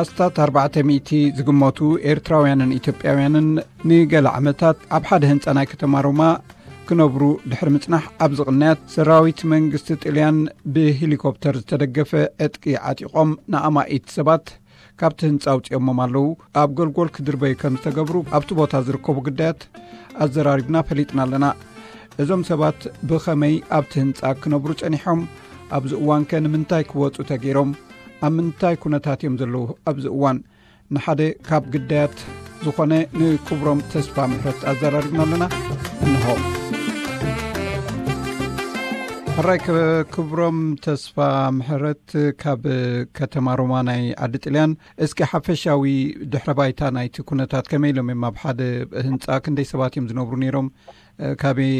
ኣስታት ኣርባዕተ ሚእቲ ዝግመቱ ኤርትራውያንን ኢትዮጵያውያንን ንገለ ዓመታት ኣብ ሓደ ህንጻ ናይ ከተማ ሮማ ክነብሩ ድሕሪ ምጽናሕ፣ ኣብዚ ቅንያት ሰራዊት መንግስቲ ጥልያን ብሄሊኮፕተር ዝተደገፈ ዕጥቂ ዓጢቖም ንኣማኢት ሰባት ካብቲ ህንጻ ኣውጺኦሞም ኣለዉ። ኣብ ጎልጎል ክድርበዩ ከም ዝተገብሩ ኣብቲ ቦታ ዝርከቡ ግዳያት ኣዘራሪብና ፈሊጥና ኣለና። እዞም ሰባት ብኸመይ ኣብቲ ህንጻ ክነብሩ ጸኒሖም? ኣብዚ እዋንከ ንምንታይ ክወጹ ተገይሮም? ኣብ ምንታይ ኩነታት እዮም ዘለዉ ኣብዚ እዋን? ንሓደ ካብ ግዳያት ዝኾነ ንክብሮም ተስፋ ምሕረት ኣዘራሪብና ኣለና። እንሆ። ሕራይ ክብሮም ተስፋ ምሕረት ካብ ከተማ ሮማ ናይ ዓዲ ጥልያን፣ እስኪ ሓፈሻዊ ድሕረ ባይታ ናይቲ ኩነታት ከመይ ኢሎም እዮም ኣብ ሓደ ህንጻ ክንደይ ሰባት እዮም ዝነብሩ ነይሮም? ካበይ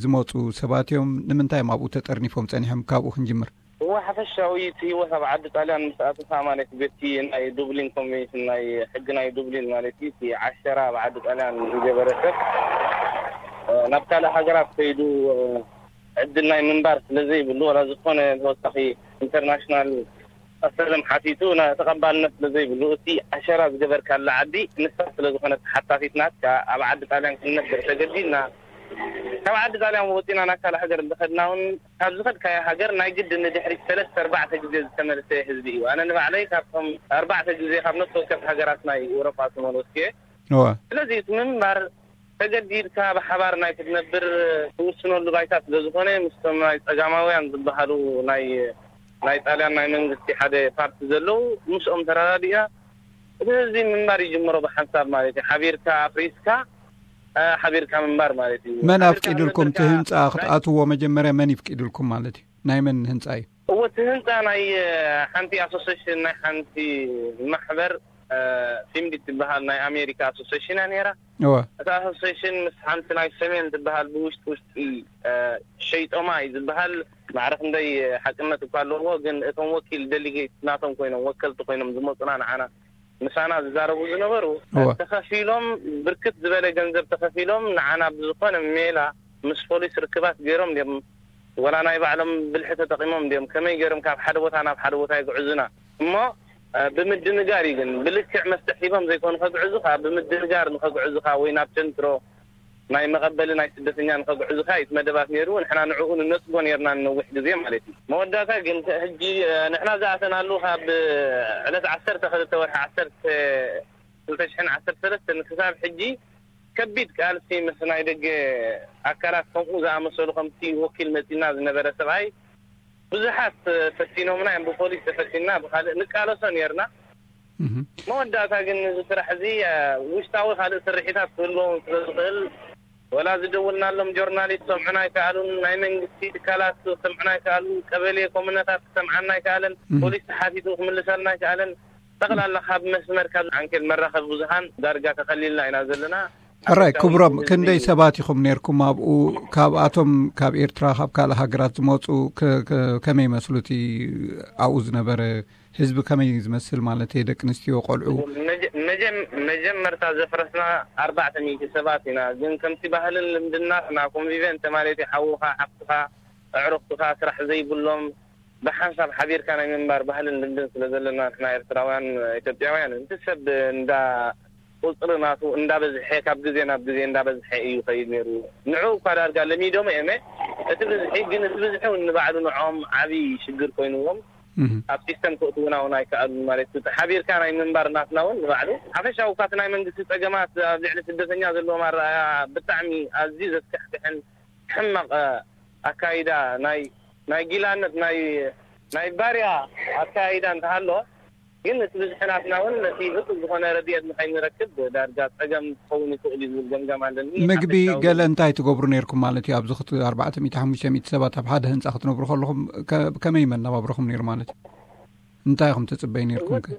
ዝመጹ ሰባት እዮም? ንምንታይ እዮም ኣብኡ ተጠርኒፎም ጸኒሖም? ካብኡ ክንጅምር። እወ፣ ሓፈሻዊ እቲ ህይወት ኣብ ዓዲ ጣልያን ምስ ኣተኻ ማለት፣ በቲ ናይ ዱብሊን ኮንቬንሽን፣ ናይ ሕጊ ናይ ዱብሊን ማለት እዩ፣ እቲ ዓሸራ ኣብ ዓዲ ጣልያን ዝገበረ ሰብ ናብ ካልእ ሃገራት ከይዱ ዕድል ናይ ምንባር ስለ ዘይብሉ፣ ዋላ ዝኾነ ተወሳኺ ኢንተርናሽናል ኣሰለም ሓቲቱ ተቐባልነት ስለ ዘይብሉ፣ እቲ ዓሸራ ዝገበርካላ ዓዲ ንሳ ስለ ዝኾነት ተሓታቲት ናትካ፣ ኣብ ዓዲ ጣልያን ክንነብር ተገዲድና። ካብ ዓዲ ጣልያን ወፂና ናብ ካልእ ሃገር እንተኸድና እውን፣ ካብ ዝኸድካዮ ሃገር ናይ ግድን ንድሕሪት ሰለስተ ኣርባዕተ ግዜ ዝተመልሰ ህዝቢ እዩ። ኣነ ንባዕለይ ካብቶም ኣርባዕተ ግዜ ካብ ነፍሲ ወከፍ ሃገራት ናይ ኤውሮጳ ዝተመለስኩ እየ። እወ። ስለዚ እቲ ምንባር ተገዲድካ ብሓባር ናይ ክትነብር ትውስነሉ ባይታ ስለ ዝኾነ፣ ምስቶም ናይ ጸጋማውያን ዝበሃሉ ናይ፣ ናይ ጣልያን ናይ መንግስቲ ሓደ ፓርቲ ዘለዉ፣ ምስኦም ተረዳዲእና እቲ ህዝቢ ምንባር ይጅምሮ ብሓንሳብ ማለት እዩ። ሓቢርካ ኣፍሪስካ፣ እ፣ ሓቢርካ ምንባር ማለት እዩ። መን ሓቢርካ ኣፍቂዱልኩም እቲ ክነብር ህንጻ ከኣ ክትኣትዎ? መጀመርያ መን ይፍቂዱልኩም ማለት እዩ? ናይ መን ህንጻ እዩ? እወ፣ እቲ ህንጻ ናይ፣ እ፣ ሓንቲ ኣሶሴሽን፣ ናይ ሓንቲ ማሕበር፣ እ፣ ፊምዲ ትበሃል ናይ ኣሜሪካ ኣሶሴሽን እያ ነይራ። እወ። እታ ኣሶሴሽን ምስ ሓንቲ ናይ ሰሜን ትበሃል ብውሽጢ ውሽጢ፣ እ፣ ሸይጦማ እዩ ዝበሃል ማዕረ ክንደይ ሓቅነት እኳ ኣለዎ፣ ግን እቶም ወኪል ደሊጌት ናቶም ኮይኖም፣ ወከልቲ ኮይኖም ዝመጹና ንዓና ምሳና ዝዛረቡ ዝነበሩ፣ እወ። ተኸፊሎም፣ ብርክት ዝበለ ገንዘብ ተኸፊሎም፣ ንዓና ብዝኾነ ሜላ ምስ ፖሊስ ርክባት ገይሮም ድዮም፣ ወላ ናይ ባዕሎም ብልሒ ተጠቒሞም ድዮም፣ ከመይ ገይሮም ካብ ሓደ ቦታ ናብ ሓደ ቦታ የግዕዙና? እሞ፣ እ፣ ብምድንጋር እዩ ግን፣ ብልክዕ መፍትሕ ሂቦም ዘይኮኑ ከግዕዙኻ፣ ብምድንጋር ንኸግዕዙኻ ወይ ናብ ቸንትሮ ናይ መቐበሊ ናይ ስደተኛ ንኸግዕዙኻ እዩ እቲ መደባት ነይሩ። ንሕና ንዕኡ ንነጽጎ ነይርና ንነዊሕ ግዜ ማለት እዩ። መወዳእታ ግን ሕጂ፣ እ፣ ንሕና ዝኣተናሉ ካብ ዕለት ዓሰርተ ክልተ ወርሒ ዓሰርተ ክልተ ሽሕን ዓሰርተ ሰለስተን ክሳብ ሕጂ ከቢድ ቃልሲ ምስ ናይ ደገ ኣካላት ከምኡ ዝኣመሰሉ ከምቲ ወኪል መጺና ዝነበረ ሰብኣይ ብዙሓት ፈቲኖምና እዮም። ብፖሊስ ተፈቲና፣ ብኻልእ ንቃለሶ ነይርና። እህ። መወዳእታ ግን እዚ ስራሕ እዚ፣ እ፣ ውሽጣዊ ካልእ ስርሒታት ክህልዎም ስለ ዝኽእል፣ ወላ ዝደወልናሎም ጆርናሊስት ሰምዑና ኣይከኣሉን፣ ናይ መንግስቲ ትካላት ሰምዑና ኣይከኣሉን፣ ቀበሌ ኮሙነታት ክሰምዓና ኣይከኣለን፣ እህ። ፖሊስ ተሓቲቱ ክምልሰልና ኣይከኣለን። ጠቕላላ ካብ መስመር ካብ ዓንኬል መራኸቢ ብዙሃን ዳርጋ ተኸሊልና ኢና ዘለና። ሕራይ፣ ሓፈሻዊ ክብሮም፣ እዚ ክንደይ እዩ። ሰባት ኢኹም ነይርኩም ኣብኡ? ካብኣቶም ካብ ኤርትራ፣ ካብ ካልእ ሃገራት ዝመጹ ከ-፣ ከ-፣ ከመይ መስሉ እቲ ኣብኡ ዝነበረ ህዝቢ ከመይ ዝመስል ማለት እየ፣ ደቂ ኣንስትዮ፣ ቆልዑ? መጀ-፣ መጀም-፣ መጀመርታ ዘፍረስና ኣርባዕተ ሚእቲ ሰባት ኢና፣ ግን ከምቲ ባህልን ልምድናትና ኮንቪቨንተ ማለት እዩ፣ ሓውኻ፣ ሓፍትኻ፣ ኣዕሩኽትኻ ስራሕ ዘይብሎም ብሓንሳብ ሓቢርካ ናይ ምንባር ባህልን ልምድን ስለ ዘለና ንሕና ኤርትራውያን ኢትዮጵያውያን፣ እቲ ሰብ እንዳ ቁጽሪ ናቱ እንዳበዝሐ፣ ካብ ግዜ ናብ ግዜ እንዳበዝሐ እዩ ይኸይድ ነይሩ። ንዕኡ እኳ ዳርጋ ለሚዶም እዮም፣ እቲ ብዝሒ ግን፣ እቲ ብዝሒ እውን ንባዕሉ ንዕኦም ዓቢ ሽግር ኮይንዎም እህ። ኣብ ሲስተም ክእትውና እውን ኣይከኣሉን ማለት እዩ። ሓቢርካ ናይ ምንባር ናትና እውን ንባዕሉ ሓፈሻዊ ካብቲ ናይ መንግስቲ ጸገማት ኣብ ልዕሊ ስደተኛ ዘለዎም ኣረኣእያ ብጣዕሚ ኣዝዩ ዘስካሕክሕን ሕማቕ ኣካይዳ ናይ፣ ናይ ጊላነት ናይ፣ ናይ ባርያ ኣካይዳ እንተሃሎ፣ ግን እቲ ብዝሒ ናትና እውን ነቲ እኹል ዝኾነ ረድኤት ንኸይንረክብ ዳርጋ ጸገም ክኸውን ይኽእል እዩ ዝብል ገምጋም ኣለኒ። ምግቢ ሓፈሻዊ ገለ እንታይ ትገብሩ ነይርኩም ማለት እዩ? ኣብዚ ክት-፣ ኣርባዕተ ሚእቲ ሓሙሽተ ሚእቲ ሰባት ኣብ ሓደ ህንጻ ክትነብሩ ከለኹም ከ-፣ ከመይ መነባብሮኹም ነይሩ ማለት እዩ? እንታይ ኢኹም ትጽበዩ ነይርኩም ከ?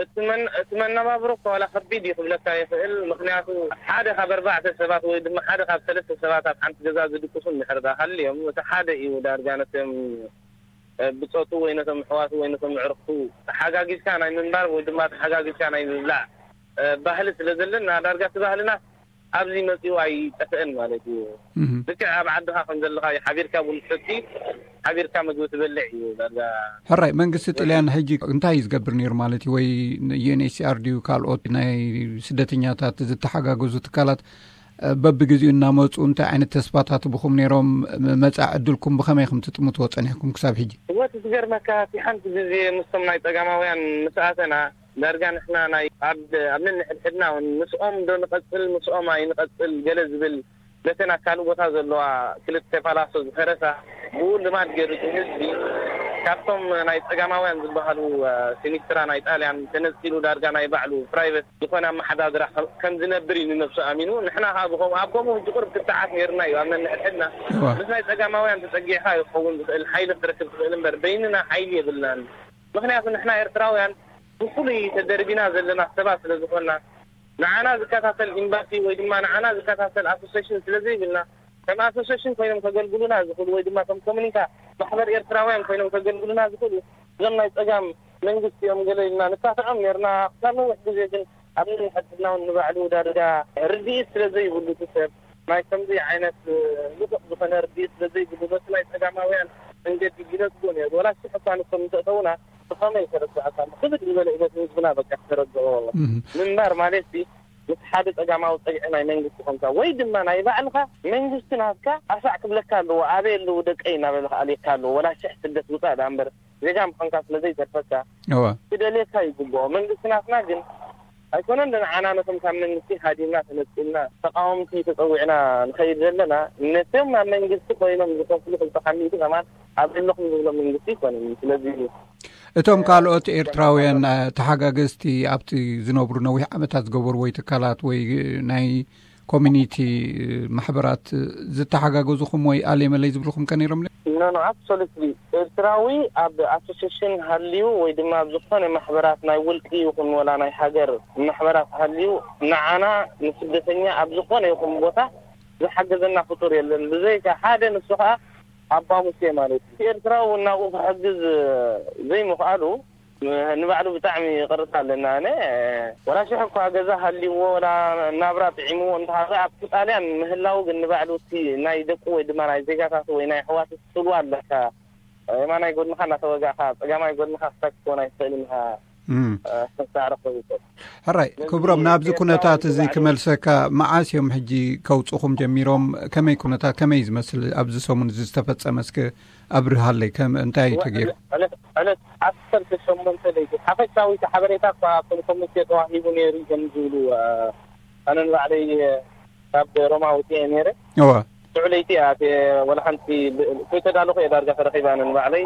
እቲ መን-፣ እቲ መነባብሮ እኮ ዋላ ከቢድ እዩ ክብለካ ይኽእል። ምኽንያቱ ሓደ ካብ ኣርባዕተ ሰባት ወይ ድማ ሓደ ካብ ሰለስተ ሰባት ኣብ ሓንቲ ገዛ ዝድቅሱ እንድሕር ደኣ ሃልዮም፣ እቲ ሓደ እዩ ዳርጋ ነቶም፣ እ፣ ብጾቱ ወይ ነቶም ኣሕዋቱ ወይ ነቶም ኣዕሩኽቱ ተሓጋጊዝካ ናይ ምንባር ወይ ድማ ተሓጋጊዝካ ናይ ምብላዕ፣ እ፣ ባህሊ ስለ ዘለና፣ ዳርጋ እቲ ባህልና ኣብዚ መጺኡ ኣይጠፍእን ማለት እዩ። ልክዕ ኣብ ዓድኻ ከም ዘለኻ እዩ። ሓቢርካ ቡን ትሰቲ፣ ሓቢርካ ምግቢ ትበልዕ እዩ ዳርጋ። ሕራይ፣ መንግስቲ ጥልያን ሕጂ እንታይ እዩ ዝገብር ነይሩ ማለት እዩ? ወይ ዩኤንኤችሲኣር ድዩ ካልኦት ናይ ስደተኛታት ዝተሓጋገዙ ትካላት በብግዜኡ እናመፁ እንታይ ዓይነት ተስፋታት ብኹም ነይሮም? መፃ ዕድልኩም ብኸመይ ከም ትጥምትዎ ፀኒሕኩም ክሳብ ሕጂ? እወ፣ እቲ ዝገርመካ፣ እቲ ሓንቲ ግዜ ምስቶም ናይ ጸጋማውያን ምስ ኣተና፣ ዳርጋ ንሕና ናይ ኣብ ኣብ ነንሕድሕድና እውን ምስኦም ዶ ንቐጽል ምስኦም ኣይንቐጽል ገለ ዝብል፣ ነተን ኣብ ካልእ ቦታ ዘለዋ ክልተ ፓላሶ ዝፈረሳ፣ ብኡ ልማድ ገይሩ እቲ ህዝቢ ካብቶም ናይ ጸጋማውያን ዝበሃሉ ሲኒስትራ ናይ ጣልያን ተነጺሉ ዳርጋ ናይ ባዕሉ ፕራይቨት ዝኾነ ኣመሓዳድራ ከም ዝነብር እዩ ንነብሱ ኣሚኑ። ንሕና ከዓ ብከምኡ ኣብ ከምኡ ሕጂ ቁርብ ክትዓት ነይርና እዩ ኣብ ነንሕድሕድና። ምስ ናይ ጸጋማውያን ተጸጊዕካ ይኸውን ዝኽእል ሓይሊ ክትረክብ ትኽእል እምበር በይንና ሓይሊ የብልናን። ምኽንያቱ ንሕና ኤርትራውያን ብፍሉይ ተደርቢና ዘለና ሰባት ስለ ዝኾንና፣ ንዓና ዝከታተል ኤምባሲ ወይ ድማ ንዓና ዝከታተል ኣሶሴሽን ስለ ዘይብልና፣ ከም ኣሶሴሽን ኮይኖም ከገልግሉና ዝኽእሉ ወይ ድማ ከም ኮሙኒታ ማሕበር ኤርትራውያን ኮይኖም ከገልግሉና ዝኽእሉ እዞም ናይ ጸጋም መንግስቲ እዮም ገለ ኢልና ንካትዖም ነርና። ክሳብ ነዊሕ ግዜ ግን ኣብ ነንሕድሕድና እውን ንባዕሉ ዳርጋ ርድኢት ስለ ዘይብሉ እቲ ሰብ ናይ ከምዚ ዓይነት ልጡቕ ዝኾነ ርድኢት ስለ ዘይብሉ ነቲ ናይ ጸጋማውያን መንገዲ ይነጽጎ ነይሩ። ወላ ሽሕ እኳ ንሶም እንተእተውና ብኸመይ ተረዳእካ? ክብድ ዝበለ ሂወት ንህዝብና በቃ ክተረድኦ ምንባር ማለት ሲ ምስ ሓደ ጸጋማዊ ጸግዒ ናይ መንግስቲ ኮንካ ወይ ድማ ናይ ባዕልኻ መንግስቲ ናትካ ኣሳዕ ክብለካ ኣለዎ። ኣበይ ኣለዉ ደቀይ እናበለ ክኣልየካ ኣለዎ። ወላ ሽሕ ስደት ውጻእ ደኣ እምበር ዜጋ ምዃንካ ስለ ዘይተርፈካ እወ። ክደልየካ ይግብኦ። መንግስቲ ናትና ግን ኣይኮነን ንዓና ነቶም ካብ መንግስቲ ሃዲምና ተነጺልና ተቃወምቲ ተጸዊዕና ንኸይድ ዘለና ነቶም ኣብ መንግስቲ ኮይኖም ዝኸፍሉ ክልተ ካብ ሚእቲ ከማን ኣብ ዘለኹም ዝብሎ መንግስቲ ኣይኮነን። ስለዚ እቶም ካልኦት ኤርትራውያን እ፣ ተሓጋገዝቲ ኣብቲ ዝነብሩ ነዊሕ ዓመታት ዝገበሩ ወይ ትካላት ወይ ናይ ኮሚኒቲ ማሕበራት ዝተሓጋገዙኹም ወይ ኣለይ መለይ ዝብልኹም ከ ነይሮም? ኖ ኖ፣ ኣብሶሉትሊ። ኤርትራዊ ኣብ ኣሶሴሽን ሃልዩ ወይ ድማ ኣብ ዝኾነ ማሕበራት ናይ ውልቂ ይኹን ወላ ናይ ሃገር ማሕበራት ሃልዩ ንዓና ንስደተኛ ኣብ ዝኾነ ይኹን ቦታ ዝሓገዘና ፍጡር የለን። ብዘይካ ሓደ ንሱ ከዓ ኣባ ሙሴ ማለት እዩ። ኤርትራዊ እውን ናብኡ ክሕግዝ ዘይምኽኣሉ ንባዕሉ ብጣዕሚ ይቕርታ ኣለና። ኣነ ወላ ሽሕ እኳ ገዛ ሃልይዎ ወላ ናብራ ጥዒምዎ እንተሃለ ኣብቲ ጣልያን ምህላው ግን ንባዕሉ እቲ ናይ ደቁ ወይ ድማ ናይ ዜጋታቱ ወይ ናይ ኣሕዋቱ ትጽልዋ ኣለካ። የማናይ ጎድንኻ እናተወጋእካ ጸጋማይ ጎድንኻ ክሳብ ክትኮን ኣይትኽእልን ኢኻ። ሕራይ ክብሮም፣ ናብዚ ኩነታት እዚ ክመልሰካ፣ መዓስ እዮም ሕጂ ከውፅኹም ጀሚሮም? ከመይ ኩነታት፣ ከመይ ዝመስል ኣብዚ ሰሙን እዚ ዝተፈጸመ? እስከ ኣብርሃለይ፣ ከም እንታይ እዩ ተገይሩ? ዕለት ዕለት ዓሰርተ ሸሞንተ ለይቲ ሓፈሻዊ ሓበሬታ እኳ ኣብቶም ኮሚቴ ተዋሂቡ ነይሩ እዮም ዝብሉ ኣነ ንባዕለይ ካብ ሮማ ውፅአ ነይረ። እወ። ሽዑ ለይቲ እያ ወላ ሓንቲ ከይተዳለኹ እየ ዳርጋ ተረኺባ ኣነ ንባዕለይ።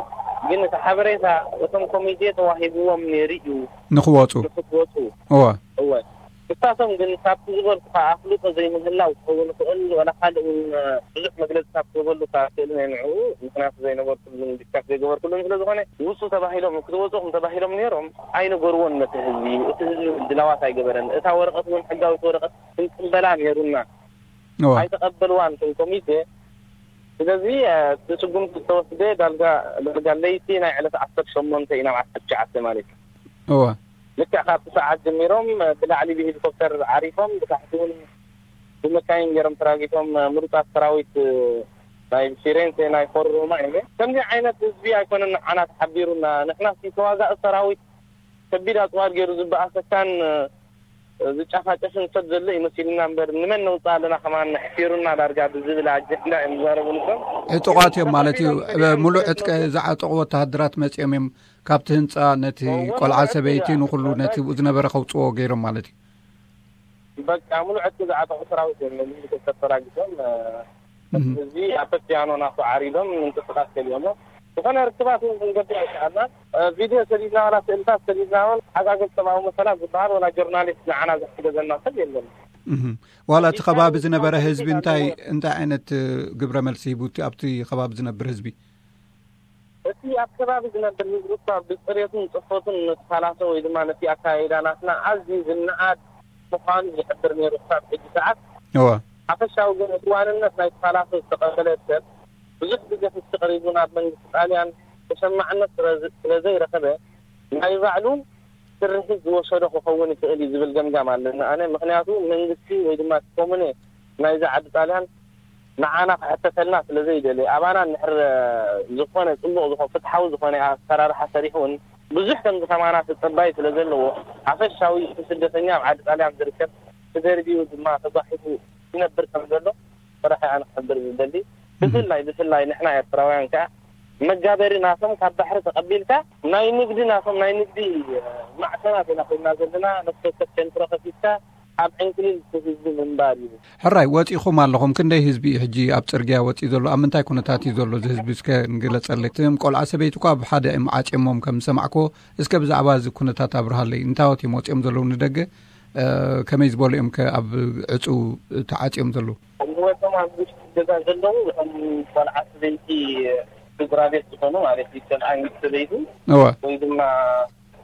ግን እቲ ሓበሬታ እቶም ኮሚቴ ተዋሂብዎም ነይሩ እዩ ንክወፁ። ንክትወፁ። እወ። እወ። ንሳቶም ግን ካብቲ ዝበልኩኻ ኣፍልጦ ዘይምህላው ክኸውን ይኽእል፣ ዋላ ካልእ እውን ብዙሕ መግለፂ ካብ ክህበሉ ካብ ክእል ናይ ንዕኡ፣ ምኽንያቱ ዘይነበርኩሉን ዲስካስ ዘይገበርኩሉን ስለ ዝኾነ፣ ውፁ ተባሂሎም ክትወፁኹም ተባሂሎም ነይሮም ኣይነገርዎን ነቲ ህዝቢ። እቲ ህዝቢ ድላዋት ኣይገበረን። እታ ወረቐት እውን ሕጋዊት ወረቐት ክንቅበላ ነይሩና። እወ። ኣይተቐበልዋን እቶም ኮሚቴ። ስለዚ እቲ ስጉምቲ ዝተወስደ ዳርጋ ዳርጋ ለይቲ ናይ ዕለት ዓሰርተ ሸሞንተ እዩ ናብ ዓሰርተ ትሽዓተ ማለት እዩ። እወ። ልክዕ ካብቲ ሰዓት ጀሚሮም ብላዕሊ ብሄሊኮፕተር ዓሪፎም ብታሕቲ እውን ብመካይን ገይሮም ተራጊፎም ምሩፃት ሰራዊት ናይ ፊሬንሴ ናይ ፎር ሮማ እዮም። ከምዚ ዓይነት ህዝቢ ኣይኮነን ንዓና ተሓቢሩና። ንሕና ተዋጋኢ ሰራዊት ከቢድ ኣፅዋር ገይሩ ዝበኣሰካን ዝጫፋጨፍን ሰብ ዘሎ ይመሲልና እምበር ንመን ነውፅእ ኣለና ከማን ኣሕፊሩና ዳርጋ ብዝብል ኣጀንዳ እዮም ዝዛረቡ ንሶም። ዕጡቓት እዮም ማለት እዩ። ሙሉእ ዕጥቂ ዝዓጠቑ ወተሃደራት መፂኦም እዮም ካብቲ ህንፃ ነቲ ቆልዓ ሰበይቲ ንኩሉ ነቲ ብኡ ዝነበረ ከውፅዎ ገይሮም ማለት እዩ። በቃ ሙሉእ ዕጥቂ ዝዓጠቑ ሰራዊት እዮም ነዚ ተተራጊሶም ህዝቢ ኣብ ፒያኖ ናቱ ዓሪዶም ምንቅስቃስ ከሊኦሞ ዝኾነ ርክባት እውን ክንገብር ኣይከኣልናን። ቪድዮ ሰዲድና ዋላ ስእልታት ሰዲድና እውን ሓጋገዝ ሰብኣዊ መሰላት ዝበሃል ዋላ ጆርናሊስት ንዓና ዝሕገዘና ሰብ የለን። ዋላ እቲ ከባቢ ዝነበረ ህዝቢ እንታይ እንታይ ዓይነት ግብረ መልሲ ሂቡ ኣብቲ ከባቢ ዝነብር ህዝቢ? እቲ ኣብ ከባቢ ዝነብር ህዝቢ እኳ ብፅሬቱን ፅፈቱን ነቲ ፓላሶ ወይ ድማ ነቲ ኣካያይዳ ናትና ኣዝዩ ዝነኣድ ምዃኑ ዝሕብር ነይሩ ክሳብ ሕጂ ሰዓት። እወ። ሓፈሻዊ ግን እቲ ዋንነት ናይቲ ፓላሶ ዝተቐበለ ሰብ ብዙሕ ግዜ ክሲ ቀሪቡ ናብ መንግስቲ ጣልያን ተሰማዕነት ስለ ዝ- ስለ ዘይረኸበ ናይ ባዕሉ ስርሒት ዝወሰዶ ክኸውን ይኽእል እዩ ዝብል ገምጋም ኣለኒ ኣነ። ምኽንያቱ መንግስቲ ወይ ድማ ኮሙነ ናይዚ ዓዲ ጣልያን ንዓና ክሕተተልና ስለ ዘይደሊ፣ ኣባና እንድሕር ዝኾነ ጽቡቕ ዝኾ-፣ ፍትሓዊ ዝኾነ ኣሰራርሓ ሰሪሑ እውን ብዙሕ ከምዚ ከማና ተጸባይ ስለ ዘለዎ፣ ሓፈሻዊ እቲ ስደተኛ ኣብ ዓዲ ጣልያን ዝርከብ ተደርቢዩ ድማ ተጓሒፉ ይነብር ከም ዘሎ ጥራሕ ኣነ ክሕብር ዝደሊ። ብፍላይ፣ ብፍላይ ንሕና ኤርትራውያን ከኣ መጋበሪ ናቶም ካብ ባሕሪ ተቐቢልካ ናይ ንግዲ ናቶም ናይ ንግዲ ማዕከናት ኢና ኮይና ዘለና። ነፍሲ ወከፍ ሴንትሮ ከፊትካ ኣብ ዕንክሊል ህዝቢ ምንባር እዩ። ሕራይ፣ ወጺኹም ኣለኹም። ክንደይ ህዝቢ እዩ ሕጂ ኣብ ጽርግያ ወጺኡ ዘሎ? ኣብ ምንታይ ኩነታት እዩ ዘሎ እዚ ህዝቢ? እስከ ንግለጸለይ። እቶም ቆልዓ ሰበይቲ እኳ ኣብ ሓደ እዮም ዓጽዮሞም ከም ዝሰማዕክዎ። እስከ ብዛዕባ እዚ ኩነታት ኣብርሃለይ። እንታዎት እዮም ወጺኦም ዘለዉ ንደገ? እ፣ ከመይ ዝበሉ እዮም ከ ኣብ ዕጹው ተዓጽዮም ዘለዉ? እወቶም ኣብ ውሽጢ ገዛ ዘለዉ፣ እቶም ቆልዓ ሰበይቲ ስድራ ቤት ዝኾኑ ማለት እዩ፣ ሰብኣይ ምስ ሰበይቱ እወ። ወይ ድማ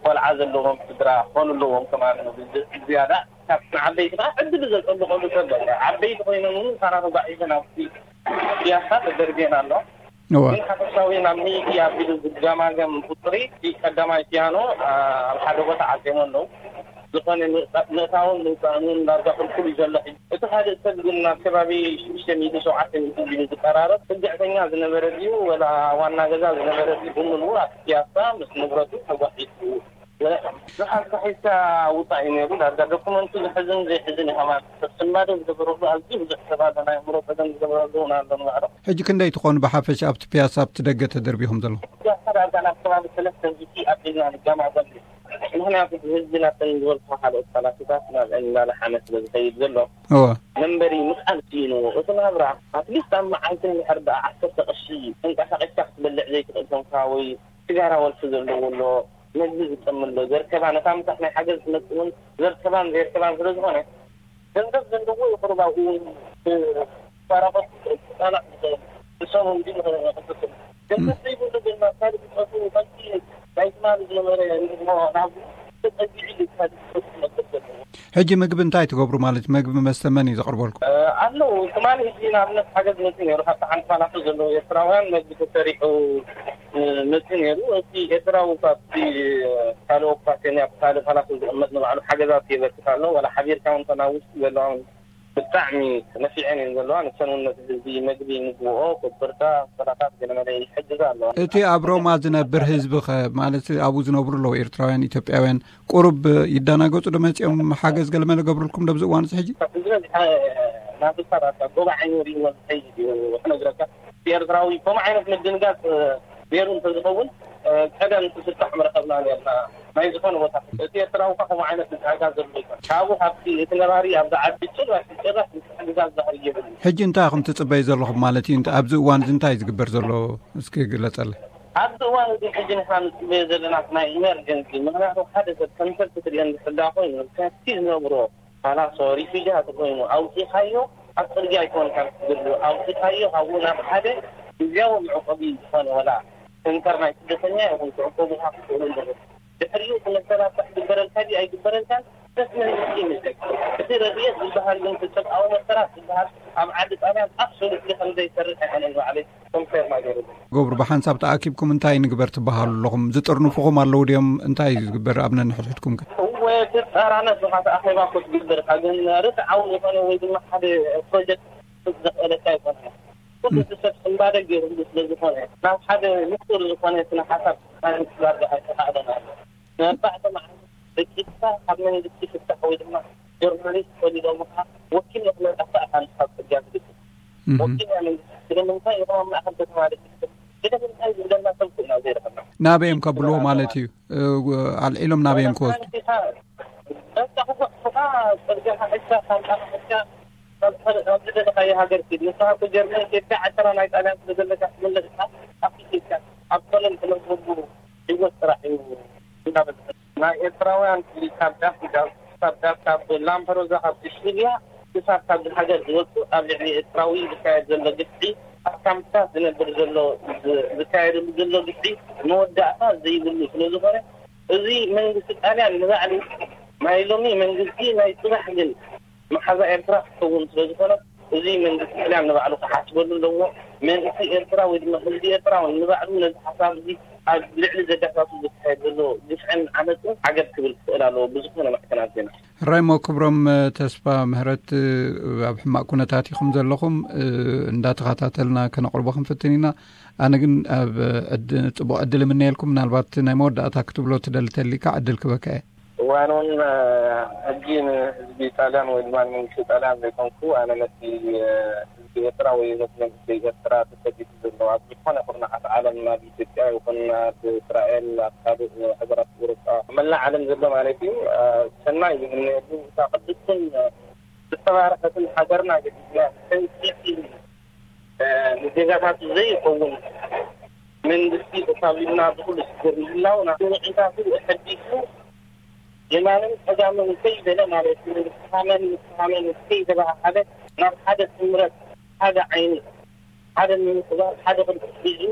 ቆልዓ ዘለዎም ስድራ ክኾኑ ኣለዎም ከማን። ዝያዳ ካብ ንዓበይቲ ከዓ ዕድል ዘጸብቐሉ ሰብ ኣሎ። ዓበይቲ ኮይኖም እውን ሳራ ተጓዒዘን ኣብቲ ፒያሳ ተደርብየን ኣሎ። እወ። ግን ሓፈሻዊ ናብ ሚእቲ ኣቢሉ ዝገማገም ቁጽሪ፣ እቲ ቀዳማይ ፒያኖ፣ ኣ፣ ኣብ ሓደ ቦታ ዓጽዮሞ ኣለዉ። ዝኾነ ምእታ-፣ ምእታውን ምውጻእን እውን ዳርጋ ክልኩል እዩ ዘሎ። ሕጂ እቲ ካልእ ሰብ ግን ናብ ከባቢ ሽዱሽተ ሚእቲ ሸውዓተ ሚእቲ ቢሉ ዝቀራረብ ጽግዕተኛ ዝነበረ ድዩ ወላ ዋና ገዛ ዝነበረ ድዩ ብምሉኡ ኣብቲ ፒያሳ ምስ ንብረቱ ተጓሒሱ። ንሓንሳ ሒዝካ ውጻእ እዩ ነይሩ። ዳርጋ ዶኩመንቱ ዝሕዝን ዘይሕዝን እዩ ከማን። ሰብ ስንባደ ዝገበረሉ ኣዝዩ ብዙሕ ሰብ ኣሎ። ናይ ኣእምሮ ጸገም ዝገበረሉ እውን ኣሎ ንባዕሉ። ሕጂ ክንደይ ትኾኑ ብሓፈሻ ኣብቲ ፒያሳ ኣብቲ ደገ ተደርቢኹም ዘለኹም? ፒያሳ ዳርጋ ናብ ከባቢ ሰለስተ ሚእቲ ኣቢልና ንገማገም። ምኽንያቱ ብህዝቢ ናብተን ዝበልኩ ካልኦት ፓላሶታት ናብአን እናለሓመ ስለ ዝኸይድ ዘሎ። እወ። መንበሪ ምኽኣል ስኢንዎ። እቲ ናብራ ኣትሊስት ኣብ መዓልቲ እንድሕር ደኣ ዓሰርተ ቅርሺ ተንቀሳቒስካ ክትበልዕ ዘይትኽእል ኮንካ ወይ ስጋራ ወልፊ ዘለዎ ኣሎ፣ መግቢ ዝጠሚ ኣሎ፣ ዘርከባ ነታ ምሳሕ ናይ ሓገዝ ትመጽእ እውን ዘርከባን ዘየርከባን ስለ ዝኾነ፣ ገንዘብ ዘለዎ ይቕርብ ኣብኡ እውን ብፋራቆት ክጸናዕ ዝኽእል ንሶም እንዲ ንኽንቅስም። ገንዘብ ዘይብሉ ግን ናብ ካልእ ፍጥረቱ ከምቲ ናይ ትማሊ ዝነበረ ንግሆ ናብ ተጸጊዑ እዩ ካልእ ፍጥረቱ ክነብር ዘለዎ። ሕጂ ምግቢ እንታይ ትገብሩ ማለት እዩ? ምግቢ መስተ መን እዩ ዘቕርበልኩም? እ፣ ኣለዉ። ትማሊ ሕጂ ንኣብነት ሓገዝ መጽኡ ነይሩ። ካብቲ ሓንቲ ፓላሶ ዘለዉ ኤርትራውያን መግቢ ተሰሪሑ፣ እ፣ መጽኡ ነይሩ። እቲ ኤርትራዊ ካብቲ ካልእ ኦኩፓሽን ኣብ ካልእ ፓላሶ ዝቕመጥ ንባዕሉ ሓገዛት የበርክት ኣሎ። ዋላ ሓቢርካ እውን ተናውስ ዘለዋ እውን ብጣዕሚ ነፊዐን እየን ዘለዋ። ንሰን እውን ነቲ ህዝቢ መግቢ፣ ምግብኦ፣ ኮበርታ፣ ሰላታት ገለመለ ይሕግዛ ኣለዋ። እቲ ኣብ ሮማ ዝነብር ህዝቢ ኸ፣ ማለት ኣብኡ ዝነብሩ ኣለዉ ኤርትራውያን፣ ኢትዮጵያውያን፣ ቁሩብ ይደናገጹ ዶ መጺኦም ሓገዝ ገለመለ ገብሩልኩም ዶ ኣብዚ እዋን እዚ ሕጂ? ዝበዝሐ ናብ ዝፈራርካ ጎባዓ ይወሪ ይወሪ ዝኸይድ እዩ ክነግረካ። ኤርትራዊ ከምኡ ዓይነት ምድንጋጽ ነይሩ እንተዝኸውን፣ እ፣ ቀደም ትፍታሕ ምረኸብና ነርና። ናይ ዝኾነ ቦታ እቲ ኤርትራዊ እኳ ከምኡ ዓይነት ምትሕግጋዝ ዘሎ ይኮን። ካብኡ ካብቲ እቲ ነባሪ ኣብዚ ዓዲ ጭራሽ ጭራሽ ምትሕግጋዝ ዛህሪ የብሉ። ሕጂ እንታይ ኢኹም ትጽበዩ ዘለኹም ማለት እዩ? እንተ-፣ ኣብዚ እዋን እዚ እንታይ እዩ ዝግበር ዘሎ? እስኪ ግለጸለይ። ኣብዚ እዋን እዚ ሕጂ ንሕና ንጽበዮ ዘለና ናይ ኢመርጀንሲ፣ ምኽንያቱ ሓደ ሰብ ከም ሰብ ክትሪኦ እንድሕር ደኣ ኮይኑ፣ ካብቲ ዝነብሮ ፋላሶ ሪፊውጂ ተኮይኑ ኣውጺኻዮ ኣብ ጽርግያ ኣይኮንካን ክትድሉ ኣውጺኻዮ ካብኡ ናብ ሓደ ግዝያዊ መዕቆቢ ዝኾነ ወላ ሰንተር ናይ ስደተኛ ይኹን ትዕቆቡኻ ክትኽእሉ ኣለኹም። ድሕሪኡ እቲ መሰላት ክግበረልካ ድዩ ኣይግበረልካን ደስ መንግስቲ ይምልከት። እቲ ረድኤት ዝበሃል ግን እቲ ሰብኣዊ መሰላት ዝበሃል ኣብ ዓዲ ጣልያን ኣብሶሉትሊ ከም ዘይሰርሕ ኣይኮነን ባዕለይ ኮንፌርም ኣይገይሩሉ። ገብሩ፣ ብሓንሳብ ተኣኪብኩም እንታይ ንግበር ትበሃሉ ኣለኹም? ዝጥርንፉኹም ኣለዉ ድዮም? እንታይ እዩ ዝግበር ኣብ ነንሕድሕድኩም ከ? እወ፣ ትጻራነፍ ኢኻ፣ እቲ ኣኼባ እኮ ትግበር ኢኻ፣ ግን ርትዓዊ ዝኾነ ወይ ድማ ሓደ ፕሮጀክት ዘኽእለካ ኣይኮነን። ኩሉ እቲ ሰብ ስንባደ ገይሩሉ ስለ ዝኾነ፣ ናብ ሓደ ንጹር ዝኾነ ስነ ሓሳብ ናይ ምጽጋር ኣይተኻእለን ኣሎ። ንኣርባዕተ መዓልቲ ደቂስካ ካብ መንግስቲ ፍታሕ ወይ ድማ ጆርናሊስት ፈሊሎምኻ ወኪል ንኽመጻካ ኢኻ ንስኻ ጽርግያ ትግጥም። እህ። ወኪል ናይ መንግስቲ ስለምንታይ ኢኹም ኣብ ማእከል ከተማ ደቂስኩም? ስለምንታይ ዝብለና ሰብ ኩና ዘይረኸብና። ናበይ እዮም ከብልዎ ማለት እዩ? እ፣ ኣልዒሎም ናበይ እዮም ክወስዱ? በቃ፣ በቃ፣ ጽርግያ ሓሒዝካ፣ ሳንጣ ሓሒዝካ፣ ካብ፣ ካብ ዝደለኻዮ ሃገር ኪድ። ንስኻ እኮ ጀርመን ኬድካ፣ ዕስራ ናይ ጣልያን ስለ ዘለካ ትምለስ ኢኻ። ኣብቲ ኬድካ፣ ኣብ ኮለን ትነብረሉ ህይወት ጥራሕ እዩ እንዳበዝሐ። ናይ ኤርትራውያን ካብ ዳስ፣ ካብ ዳስ፣ ካብ ላምፐዶዛ፣ ካብ ሲሲልያ ክሳብ ካብዚ ሃገር ዝወጹ ኣብ ልዕሊ ኤርትራዊ ዝካየድ ዘሎ ግፍዒ፣ ኣብ ካምፕታት ዝነብር ዘሎ ዝ-፣ ዝካየደሉ ዘሎ ግፍዒ መወዳእታ ዘይብሉ ስለ ዝኾነ፣ እዚ መንግስቲ ጣልያን ንባዕሉ ናይ ሎሚ መንግስቲ ናይ ጽባሕ ግን መሓዛ ኤርትራ ክኸውን ስለ ዝኾነ፣ እዚ መንግስቲ ጣልያን ንባዕሉ ክሓስበሉ ኣለዎ። መንግስቲ ኤርትራ ወይ ድማ ህዝቢ ኤርትራ እውን ንባዕሉ ነዚ ሓሳብ እዚ ኣብ ልዕሊ ዜጋታቱ ዝካየድ ዘሎ ግፍዕን ዓመፅን ዓገብ ክብል ክኽእል ኣለዎ ብዝኾነ ማዕከናት ዜና። ራይሞ ክብሮም፣ ተስፋ ምህረት፣ ኣብ ሕማቕ ኩነታት ኢኹም ዘለኹም። እንዳተኸታተልና ከነቕርቦ ክንፍትን ኢና። ኣነ ግን ኣብ ዕድ- ጽቡቕ ዕድል እምነየልኩም። ምናልባት ናይ መወዳእታ ክትብሎ ትደሊ ተሊካ ዕድል ክበካ እየ። እዋን እውን ሕጂ ንህዝቢ ጣልያን ወይ ድማ ንመንግስቲ ጣልያን ዘይኮንኩ፣ ኣነ ነቲ ህዝቢ ኤርትራ ወይ ነቲ መንግስቲ ኤርትራ ተሰዲዱ ዘሎ ኣብ ዝኾነ ኩርናዓት ዓለም፣ ኣብ ኢትዮጵያ ይኹን ኣብ እስራኤል፣ ኣብ ካልእ ሃገራት ኤውሮጳ፣ መላእ ዓለም ዘሎ ማለት እዩ፣ ሰናይ ይምነየሉ። እታ ቅድስትን ዝተባረኸትን ሃገርና ገዲፍና ንዜጋታቱ ዘይኸውን መንግስቲ ተሳቢልና ብኩሉ ሽግር ምህላው፣ ናብ ንዕታቱ ኣሐዲሱ የማንን ጸጋምን ከይበለ ማለት እዩ፣ ንስኻመን ንስኻመን ከይተባሃሃለ፣ ናብ ሓደ ስምረት፣ ሓደ ዓይኒ፣ ሓደ ምምስባል፣ ሓደ ቅርጺ ሒዙ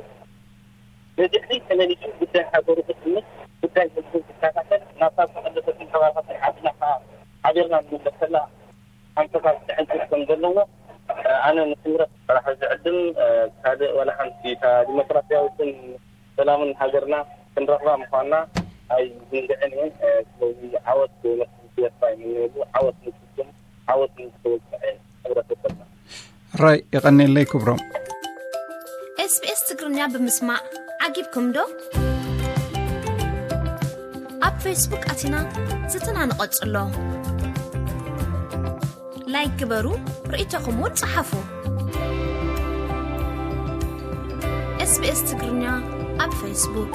ንድሕሪት ተመሊሱ ጉዳይ ሃገሩ ክጥምት፣ ጉዳይ ህዝቡ ክከታተል፣ ናብታ ዝተቐደሰትን ተባረኸትን ዓድና ከዓ ሓቢርና ንምለሰላ ኣንፈታት ክዕንቅፍ ከም ዘለዎ ኣነ ንስምረት ጥራሕ ዝዕድም፣ ካልእ ዋላ ሓንቲ እታ ዲሞክራሲያዊትን ሰላምን ሃገርና ክንረኽባ ምዃንና ኣይዝንግዕን እየ። ስለዚ ዓወት ንመንግስቲ ኤርትራ ይምነየሉ፣ ዓወት ንስኩም፣ ዓወት ንዝተወግዐ ሕብረተሰብና። ራይ የቐኔለይ ክብሮም። SBS ትግርኛ ብምስማዕ ዓጊብኩም ዶ? ኣብ ፌስቡክ ኣቲና ዝትና ንቐጽሎ። ላይክ ግበሩ፣ ርእይቶኹም እውን ጸሓፉ። SBS ትግርኛ ኣብ ፌስቡክ።